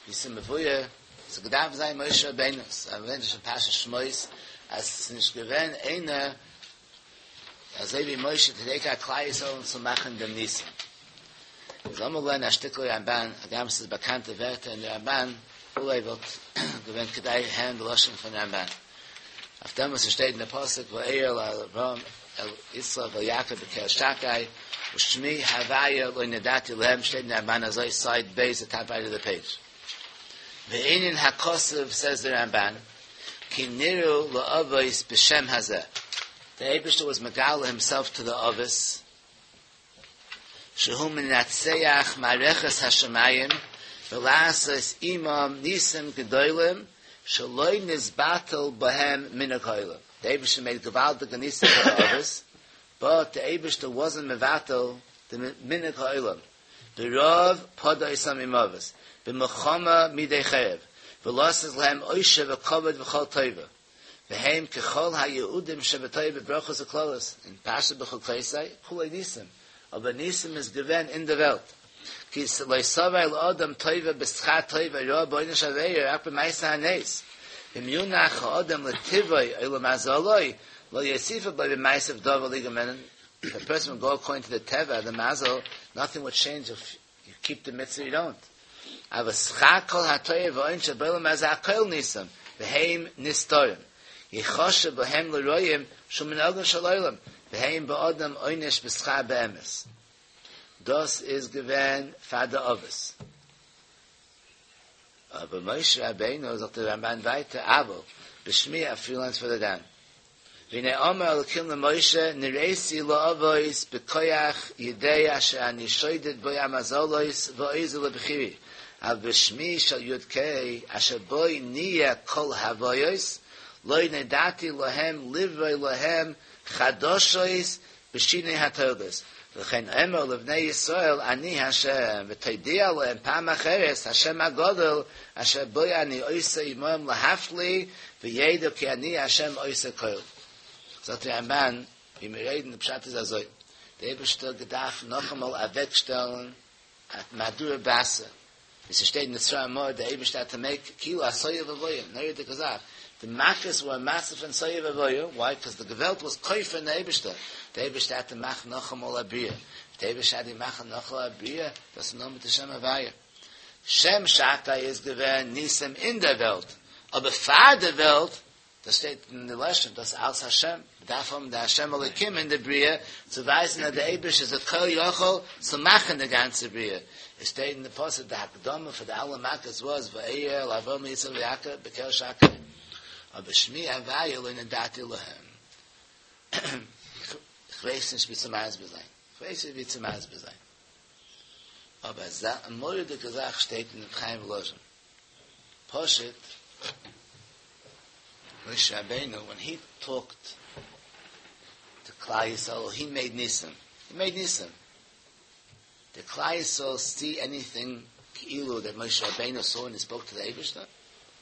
ווי ס'איז מבואר, ס'האט געדארפט זיין משה רבינו, ס'איז ערווענט אין פרשת שמות אז ס'איז נישט געווען איינער אזוי ווי משה to take out כלל ישראל און צו מאכן דעם ניסים. איז לאמיר לערנען א שטיקל רמבן, הגם ס'איז באקאנטע ווערטער אין די רמבן, אולי וואלט געווען כדאי הערן די לשון פון רמבן. אויף דעם וואס ס'שטייט אין די פסוק וארא אל אברהם אל יצחק ואל יעקב בקל שקי ושמי הוויה לא נודעתי להם שטייט אין די רמבן אזוי סייד ב' די טאפ רייט אוו די פעידזש. וענין הכתוב סעז די רמבן כי נראו לאבות בשם הזה, די אייבערשטער וואס מגלה הימסעלף טו די אבות, שהוא מנצח מערכת השמים ולעשות עמם ניסים גדולים שלא נתבטל בהם מנהג העולם, די אייבערשטער מעיד געוואלדיגע ניסים פאר די אבות, באט די אייבערשטער וואזענט מבטל די מנהג העולם, ברעב פדה אותם ממוות, במלחמה מידי חרב, ולתת להם עושר וכבוד וכל טובה, והם ככל היעודים שבתורה בברכות וקללות, אין פרשת בחוקותי, כולו ניסים, אבער ניסים איז געווען אין די וועלט, כי לא תבוא אל אדם טובה בשכר טוב ורעה בעונש עבירה רק במעשה הנס, ואם יונח האדם לטבעו או למזלו, לא יוסיפו בו במעשיו דבר ליגרמנו, If a person would go according to the טבע, the מזל, nothing would change if you keep the mitzvah, you don't. אבל שכר כל הטובה והעונש שבעולם הזה הכל ניסים, והם נסתרים. יחשב בהם לרועים שהוא מנהגו של עולם, והם באדם עונש בשכר באמת. דאס איז געווען פאר די אבות. אבער משה רבינו זאגט דער רמבן ווייטער, אבל בשמי א few lines further down. והנה אמר אלקים למשה נראיתי לאבות בכח ידי אשר אני שודד בו המזלות ועוזר לבחירי, אבל בשמי של יוד קיי אשר בו נהיה כל ההוויות לא נודעתי להם לברוא להם חדשות בשינוי התולדות, ולכן אמור לבני ישראל אני ה' ותודיע להם פעם אחרת השם הגדול אשר בו אני עושה עמהם להפליא וידעו כי אני ה' עושה כל. זאגט די רמבן, ווי מיר רעדן, די פשט איז אזוי, די אייבערשטער האט געדארפט נאכאמאל אוועקשטעלן א מהדורא בתרא, ווי ס'שטייט אין די ספרים אמאל, די אייבערשטער האט טו מעיק כאילו א תוהו ובוהו, מורא'דיגע זאך, די מכות ווער א מצב פון תוהו ובוהו, וויי? קאז די וועלט וואס כופר אין די אייבערשטער, די אייבערשטער האט טו מאכן נאכאמאל א בריאה, די אייבערשטער האט טו מאכן נאכאמאל א בריאה, דאס איז נאר מיט די שם הוויה. שם שקי איז געווען ניסים אין דער וועלט, אבער פאר די וועלט דאס שטייט אין די לשון, דאס אלץ השם, מ'דארף האבן די השם אלוקים אין די בריאה צו ווייזן אז די אייבערשטער איז א כל יכול צו מאכן די גאנצע בריאה, עס שטייט אין די פסוק די הקדמה פאר די אלע מכות וואס וארא אל אברהם יצחק ויעקב בקל שקי, אבער שמי הוויה לא נודעתי להם, כ'ווייס נישט ווי צו מסביר זיין, כ'ווייס נישט ווי צו מסביר זיין, אבער אזא מורא'דיגע זאך שטייט אין ר' חיים וואלאזשין. פשוט, משה רבינו ווען הי טאלקט טו כלל ישראל הי מעיד ניסים, הי מעיד ניסים, דיד כלל ישראל סי עניטינג כאילו דעט משה רבינו סא ווען הי ספאוק טו די אייבישטער?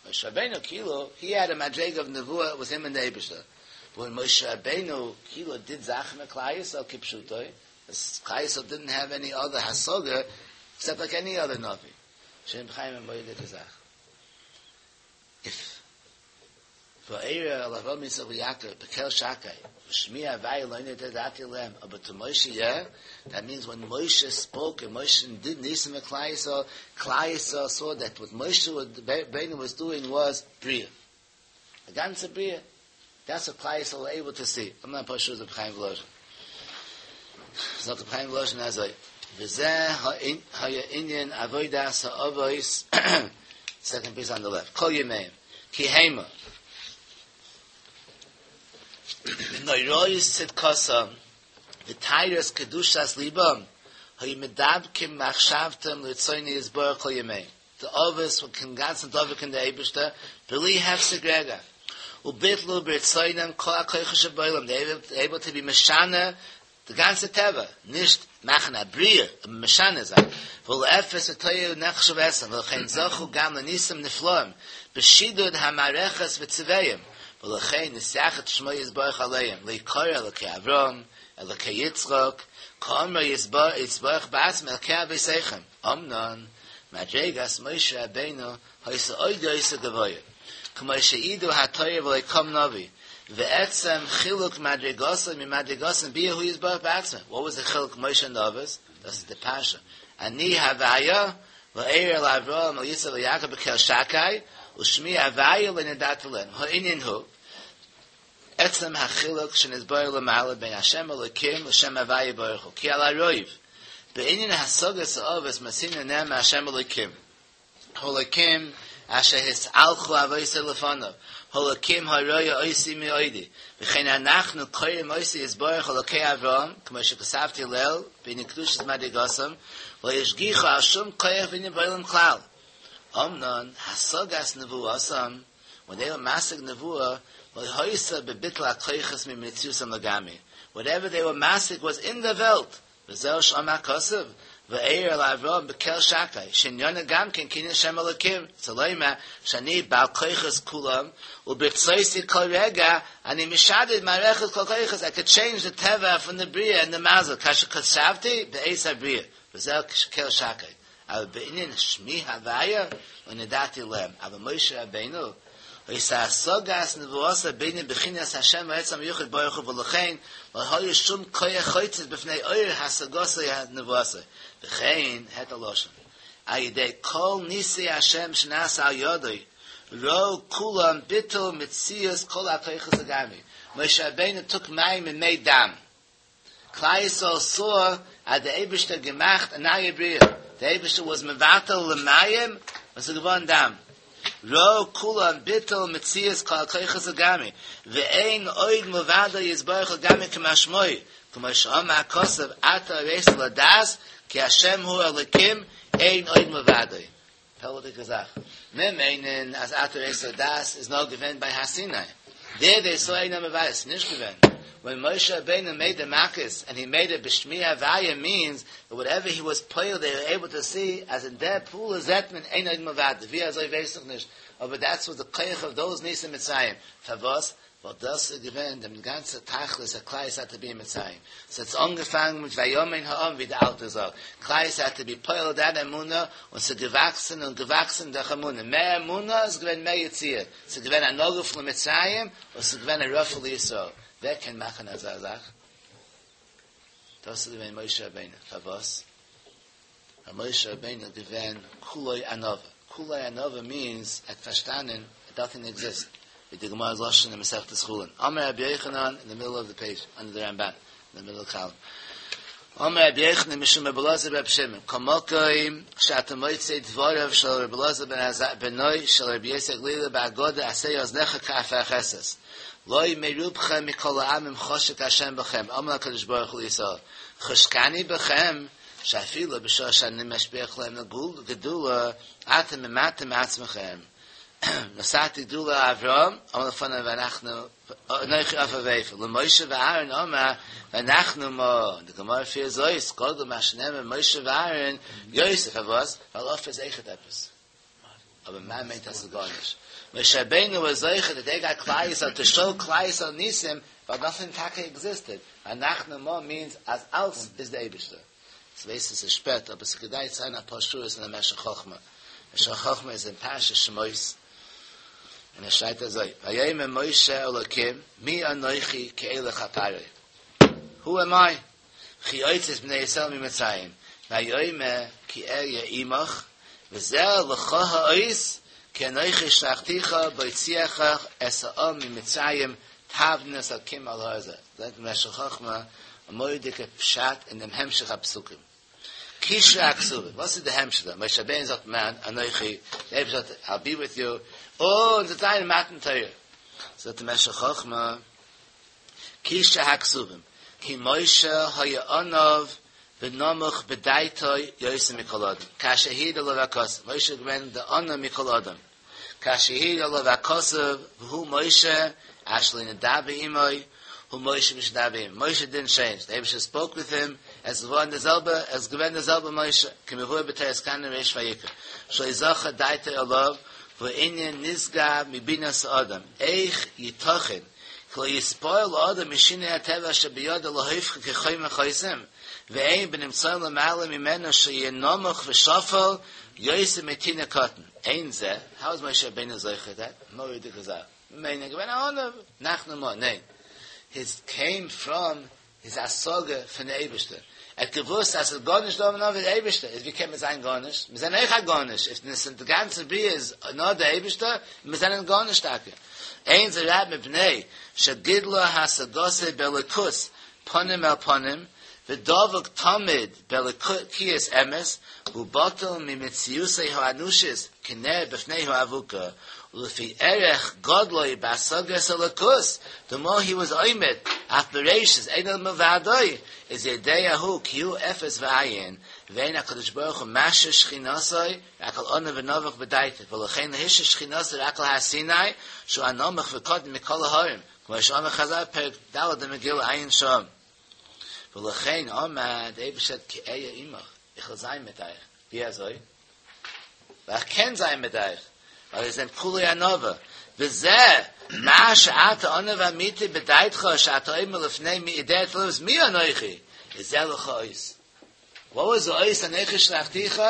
משה רבינו כאילו הי העד א מדריגה אוו נבואה וואז הים און די אייבישטער, באט ווען משה רבינו כאילו דיד זאכן מיט כלל ישראל כפשוטו, כלל ישראל דידנט העוו עני אדער השגה עקסעפט לייק עני אדער נביא. שם חיים א מורא'דיגע זאך. איף וארא אל אברהם יצחק ויעקב בקל שקי ושמי הוויה לא נודעתי להם אבער טו משה יא, דעט מינס ווען משה ספאוק און משה דיד ניסים מיט כלל ישראל, כלל ישראל סא דעט וואט משה רבינו וואס דואינג וואס בריאה. א גאנצע בריאה. דעטס וואט כלל ישראל ווער עיבל טו סי. איים נאט שור רבי חיים וואלאזשין. זאגט רבי חיים וואלאזשין אזוי, וזה היה ענין עבודת האבות, סעקאנד פיס אן די לעפט, כל ימיהם, כי המה, בנוראות צדקתם, וטהרת קדושת ליבם, היו מדבקים מחשבתם לרצונו יתברך כל ימיהם. די אבות ווערן אינגאנצן דבוק אין די אייבערשטער בלי הפסק רגע, וביטלו ברצונם כל הכוחות שבעולם, דעי ווער עיבל טו בי משנה די גאנצע טבע, נישט מאכן א בריאה, אבער משנה זיין, ולאפס ותוהו נחשב אתהם, ולכן זכו גם לניסים נפלאים בשידוד המערכת וצבאיהם, ולכן נתייחד שמו יתברך עליהם, להיקרא אלוקי אברהם, אלוקי יצחק, כאמרו יתברך בעצמו אלוקי אבותיכם. אמנם, מדרגת משה רבינו היתה עוד יותר גבוה, כמו שהעידו התורה ולא קם נביא, ועצם חילוק מדרגתו ממדרגתם ביאר הוא יתברך בעצמו, וואט וואס די חילוק משה און אבות? דאס איז די פרשה, אני הוויה וארא אל אברהם אל יצחק ואל יעקב בקל שקי, ושמי הוויה לא נודעתי להם, הענין הוא, עצם החילוק שנתבאר למעלה בין השם אלוקים לשם הוויה ברוך הוא, כי על הרוב, בענין השגת האבות מצינו נאמר השם אלוקים, האלוקים אשר התהלכו אבותי לפניו, האלוקים הרואה אותי מעודי, וכן אנחנו קוראים אותו יתברך אלוקי אברהם, כמו שכתבתי לעיל, בענין קדושת מדרגתם, ולא השגיחו על שום כח וענין בעולם כלל. אמנם, השגת נבואתם, ווען דעי ווער משיג נבואה, לא היתה בביטול הכוחות ממציאותם לגמרי, וואטעווער דעי ווער משיג וואס אין די וועלט, וזהו שאמר הכתוב, וארא אל אברהם בקל שקי, שעניינו גם כן כענין שם אלוקים, רוצה לומר שאני בעל כוחות כולם, וברצותי כל רגע אני משדד מערכת כל כוחות, איי קוד טשעינדזש די טבע פון די בריאה און די מזל, כאשר חשבתי בעת הבריאה, וזהו קל שקי. אבל בענין שמי הוויה לא נודעתי להם, אבל משה רבינו היתה השגת נבואתו בענין בחינת השם העצם היחיד ברוך הוא ולכן לא היה שום כח חוצץ בפני אור השגתו נבואתו וכן הערט א לשון על ידי כל ניסי השם שנעשה על ידו ראו כולם ביטול מציאות כל הכוחות הגשמיים משה רבינו טוק מים און מעיד דם כלל ישראל סא אז דער אייבערשטער האט געמאכט א נייע בריאה, דער אייבערשטער וואס מבטל למים און ס'איז געווארן דם. ראו כולם ביטול מציאות כל הכוחות לגמרי, ואין עוד מלבדו יתברך לגמרי כמשמעו, כמו שאמר הכתוב אתה הראת לדעת כי השם הוא אלוקים אין עוד מלבדו. פלא'דיגע זאך. מיר מיינען אז אתה הראת לדעת איז נאר געווען ביי הר סיני. דער דעי סאו אין עוד מלבדו איז נישט געווען. ווען משה רבינו מעיד די מכות ענד הי מעיד איט בשמי הוויה מיענס דעט וואטעווער הי וואס פועל דעי ווער עיבל טו סי אז אין דער פעולה זעט מען אין עוד מלבדו ווי אזוי ווייס איך נישט אבער דעטס וואס די כח אוו דאוז ניסים מצרים פארוואס ווייל דאס איז געווען דעם גאנצע תכלית הכלל ישראל טו בי אין מצרים. ס'האט זיך אנגעפאנגען מיט ויאמן העם ווי די אלטע זאגט, כלל ישראל העד טו בי פועל דעט אמונה און ס'איז געוואקסן און געוואקסן דורך אמונה, מער אמונה איז געווען מער יציאה, ס'איז געווען א נגוף למצרים און ס'איז געווען א רפוא לישראל, ווער קען מאכן אזא זאך? דאס איז געווען משה רבינו, פארוואס? ווייל משה רבינו איז געווען כולו ענווה, כולו ענווה מיענס ער האט פארשטאנען דעט נאטינג עקזיסט, ווי די גמרא'ס לשון אין מסכת חולין, אמר רבי יוחנן אין די מידל אוו די פעידזש אנדער די רמבן, אין די מידל קאלום, אמר רבי יוחנן משום רבי אלעזר ברבי שמעון, כל מקום שאתה מוצא דבריו של רבי אלעזר בן עזריה בנו של רבי יוסי הגלילי בהגדה עשה אזניך כאפרכסת, לא מרובכם מכל העמים חשק השם בכם, אמר הקדוש ברוך הוא לישראל, חשקני בכם, שאפילו בשעה שאני משביח להם גדולה, אתם ממעטים מעצמכם. נתתי גדולה לאברהם, אמר לפניו ואנחנו, אנכי עפר ואפר, למשה ואהרן אמר, ואנחנו מה, די גמרא פירט אויס, גדול מה שנאמר משה ואהרן, יותר, פארוואס? ווייל עפר איז אויכעט עפעס. אבער מה מיינט אז ס'איז גארנישט? משה רבינו וואס זוכה דעט דעי גאט כלל ישראל טו שאו כלל ישראל ניסים, ווייל נאטינג טאקע עקזיסטעד, ואנחנו מה מיענס אז אלס איז די אייבישטער. כ'ווייס עס איז שפעט אבער ס'איז כדאי צו זען אפאר שורות אין די משך חכמה. משך חכמה איז אין פרשת שמות און עס שרייבט אזוי ויאמר משה אל אלקים מי אנכי כי אלך אל פרעה Who am I וכי אוציא את בני ישראל ממצרים ויאמר כי אהיה עמך וזה לך האות כי אנכי שלחתיך בהוציאך את העם ממצרים תעבדון את האלקים על ההר הזה לערנט משך חכמה א מורא'דיגע פשט אין דעם המשך הפסוקים. קשרי הכתובים, וואס איז די המשך דא? משה רבינו זאגט מי אנכי, דער אייבערשטער זאגט I'll be with you, און ס'וועט זיין מתן תורה. זאגט דער משך חכמה, קשרי הכתובים, כי משה היה עניו ונמוך בדעתו יותר מכל אדם, כאשר העיד עליו הכתוב, משה איז געווען דער עניו מכל אדם, כאשר העיד עליו הכתוב והוא משה אשר לא נדבר עמו הוא משה משנדבר עמו, משה דינט טשעינדזש, די אייבערשטער ספאוק וויט הים, עס איז געווארן די זעלבע, עס איז געווען די זעלבע משה, כמבואר בתורת כהנים ריש ויקרא, שלא זכה דעתו עליו, והוא ענין נשגב מבינת האדם, איך יתכן כי לא יתפעל האדם משינוי הטבע אשר בידו להופכו כחומר חוסם, ואין בנמצאים למעלה ממנו שיהיה נמוך ושפל יותר מתינוק קטן. אין זה, האו איז משה רבינו זוכה דעט? מורא'דיגע זאך. ממילא געווען א עניו, אנחנו מה, ניין. היז קעים פראם היז השגה פון די אייבערשטער. ער האט געוואוסט אז ס'איז גארנישט דא נאר די אייבערשטער, איז ווי קען מען זיין גארנישט? מיר זענען אויך א גארנישט, איף די גאנצע בריאה איז נאר די אייבערשטער, מיר זענען גארנישט טאקע. אין זה רק מפני שגידלה השגתו באלוקות פנים אל פנים, ודבק תמיד באלוקיות אמת, והוא בטל ממציאותו האנושית כנר בפני האבוקה, ולפי ערך גדלו בהשגת אלוקות, the more he was עומד אויף בראשית אין עוד מלבדו, איז יודע הוא כי הוא אפס ואין, ואין הקדוש ברוך הוא משרה שכינתו רק על עניו ונמוך בדעתו, ולכן לא השרה שכינתו רק על הר סיני, שהוא הנמוך וקטן מכל ההרים, כמו שאמרו חז"ל פרק ד' במגילה עיין שם. ולכן אמר דער אייבערשטער כי אהיה עמך, איך וועל זיין מיט אייך, ווי אזוי? ווייל איך קען זיין מיט אייך, ווייל איר זענט כולי ענווה, וזה מה שאתה עניו אמיתי בדעתך שאתה אומר לפני מי יודע את הלבבות מי אנכי, איז זה לך אות. What was the אות אנכי שלחתיך?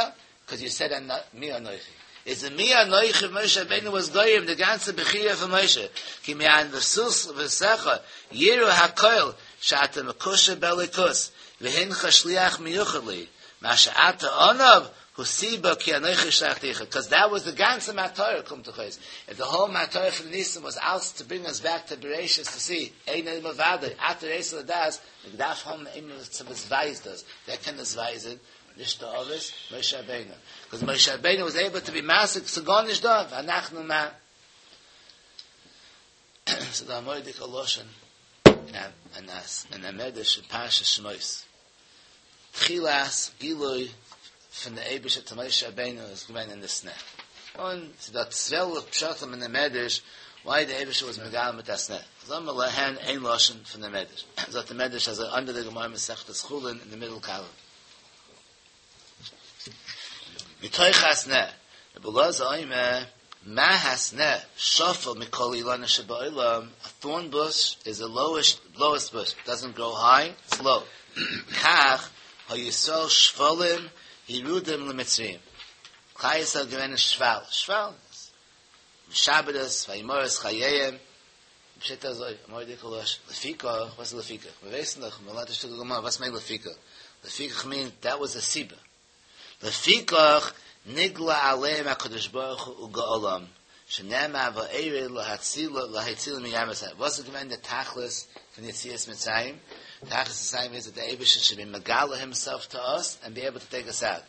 Because you said מי אנכי. איז די מי אנכי פון משה רבינו וואס גורם די גאנצע בחירה פון משה, כי מענוותך יראו הכל שאתה מקושר באלוקות, והנך שליח מיוחד לי, מה שאתה עניו הוא סיבה כי אנכי שלחתיך, קאז דעט וואס די גאנצע מטרה קומט דאך אויס, איף די האול מטרה פון די ניסים וואס אלס טו ברינג אס בעק טו בראשית טו סי, אין עוד מלבדו, אתה הראת לדעת, מען דארף האבן איינער וואס ווייזט דאס, ווער קען דאס ווייזען? נישט די אבות, משה רבינו. קאז משה רבינו וואס עיבל טו בי משיג ס'איז גארנישט דא, ואנחנו מה. ס'איז דא א מורא'דיגע לשון אין א מדרש אין פרשת שמות. תחילת גילוי פון די אייבישטער צו משה רבינו איז געווען אין די סנה. און ס'איז דא 12 פשטים אין די מדרש why די אייבישטער was מגלה מיט א סנה. זאגן מיר לערנען איין לשון פון די מדרש. זאגט די מדרש אזוי under די גמרא מסכת חולין אין די מידל קאלום. מתוך הסנה, רבי אלעזר אומר, מה הסנה שפל מכל אילנות שבעולם, a thorn bush is the lowest, lowest bush, it doesn't grow high, it's low. כך, היו ישראל שפלים, ירודים למצרים. כלל ישראל געווען אין שפל, שפל, משעבדות, וימררו חייהם, פשט אזוי, מורא'דיגע לשון, לפיכך, וואס איז לפיכך? מיר ווייסן דאך, מיר לערנט א שטיקל גמרא, וואס מיינט לפיכך? לפיכך מיינט, דעט וואס די סיבה. לפיכך נגלה עליהם הקדוש ברוך הוא וגאלם, שנאמר וארד להצילם מים מצרים. וואס איז געווען די תכלית פון יציאת מצרים? תכלית מצרים איז that the אייבערשטער should be מגלה himself to us and be able to take us out.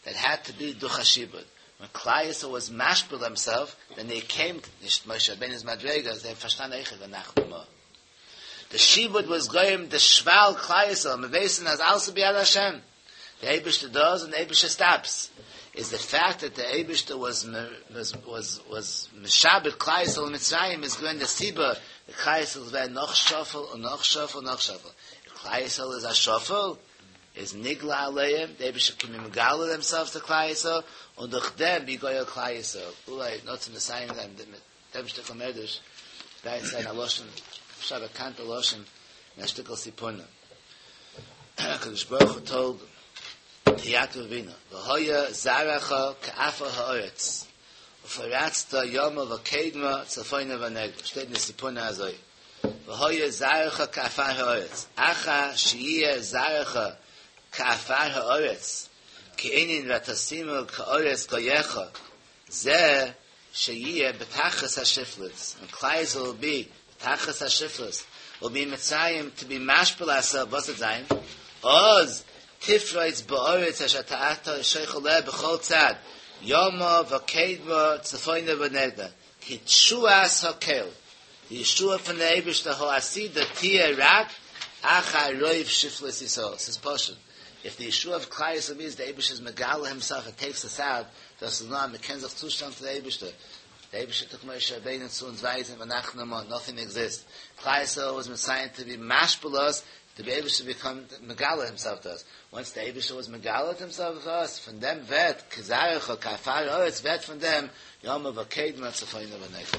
That had to be דורך א שעבוד. ווען כלל ישראל was משפיל themselves, then they came, נישט משה רבינו'ס מדרגה, זיי האבן פארשטאנען אויכעט ואנחנו מה. די שעבוד was גורם די שפל כלל ישראל, מיר ווייסן אז אלעס איז ביד השם. די אייבערשטער does און די אייבערשטער stops. איז די fact that די אייבערשטער was was was was משעבד כלל ישראל אין מצרים איז געווען די סיבה די כלל ישראל איז געווען נאך שפל און נאך שפל און נאך שפל. כלל ישראל איז א שפל איז נגלה עליהם, די אייבערשטער קען מגלה themselves to כלל ישראל, און דורך דעם be גואל כלל ישראל. אולי נאר צו מסיים זיין מיט דעם שטיקל מדרש, גייט זיין א לשון, אפשר א באקאנטע לשון, אין א שטיקל ספורנו. הקדוש ברוך הוא told to יעקב אבינו, והיה זרעך כעפר הארץ, ופרצת ימה וקדמה צפונה ונגבה. שטייט אין די ספורנו אזוי. והיה זרעך כעפר הארץ, אחר שיהיה זרעך כעפר הארץ, כענין ותשימו כארץ גויך, זה שיהיה בתכלית השפלות, and כלל ישראל will be בתכלית השפלות, will be in מצרים to be משפיל ourselves, וואס וועט זיין? אז תפרוץ בארץ אשר אתה שוכן עליה בכל צד, ימה וקדמה צפונה ונגבה, כי תשועת הקל, די ישועה פון די אייבערשטער העתידה תהיה רק אחר רוב שפלות ישראל, ס'איז פשוט, if די ישועה אוו כלל ישראל איז די אייבערשטער איז מגלה himself and takes us out, דאס איז נאר אז מ'קען זיך צושטעלן צו די אייבערשטער, די אייבערשטער took משה רבינו צו אונז ווייזן ואנחנו מה, nothing exists, כלל ישראל was מסיין to be משפיל us, די אייבערשטער become מגלה himself to us, once די אייבערשטער was מגלה himself to us, פון דעם ווערט כזרעך כעפר הארץ ווערט פון דעם ימה וקדמה צפונה ונגבה.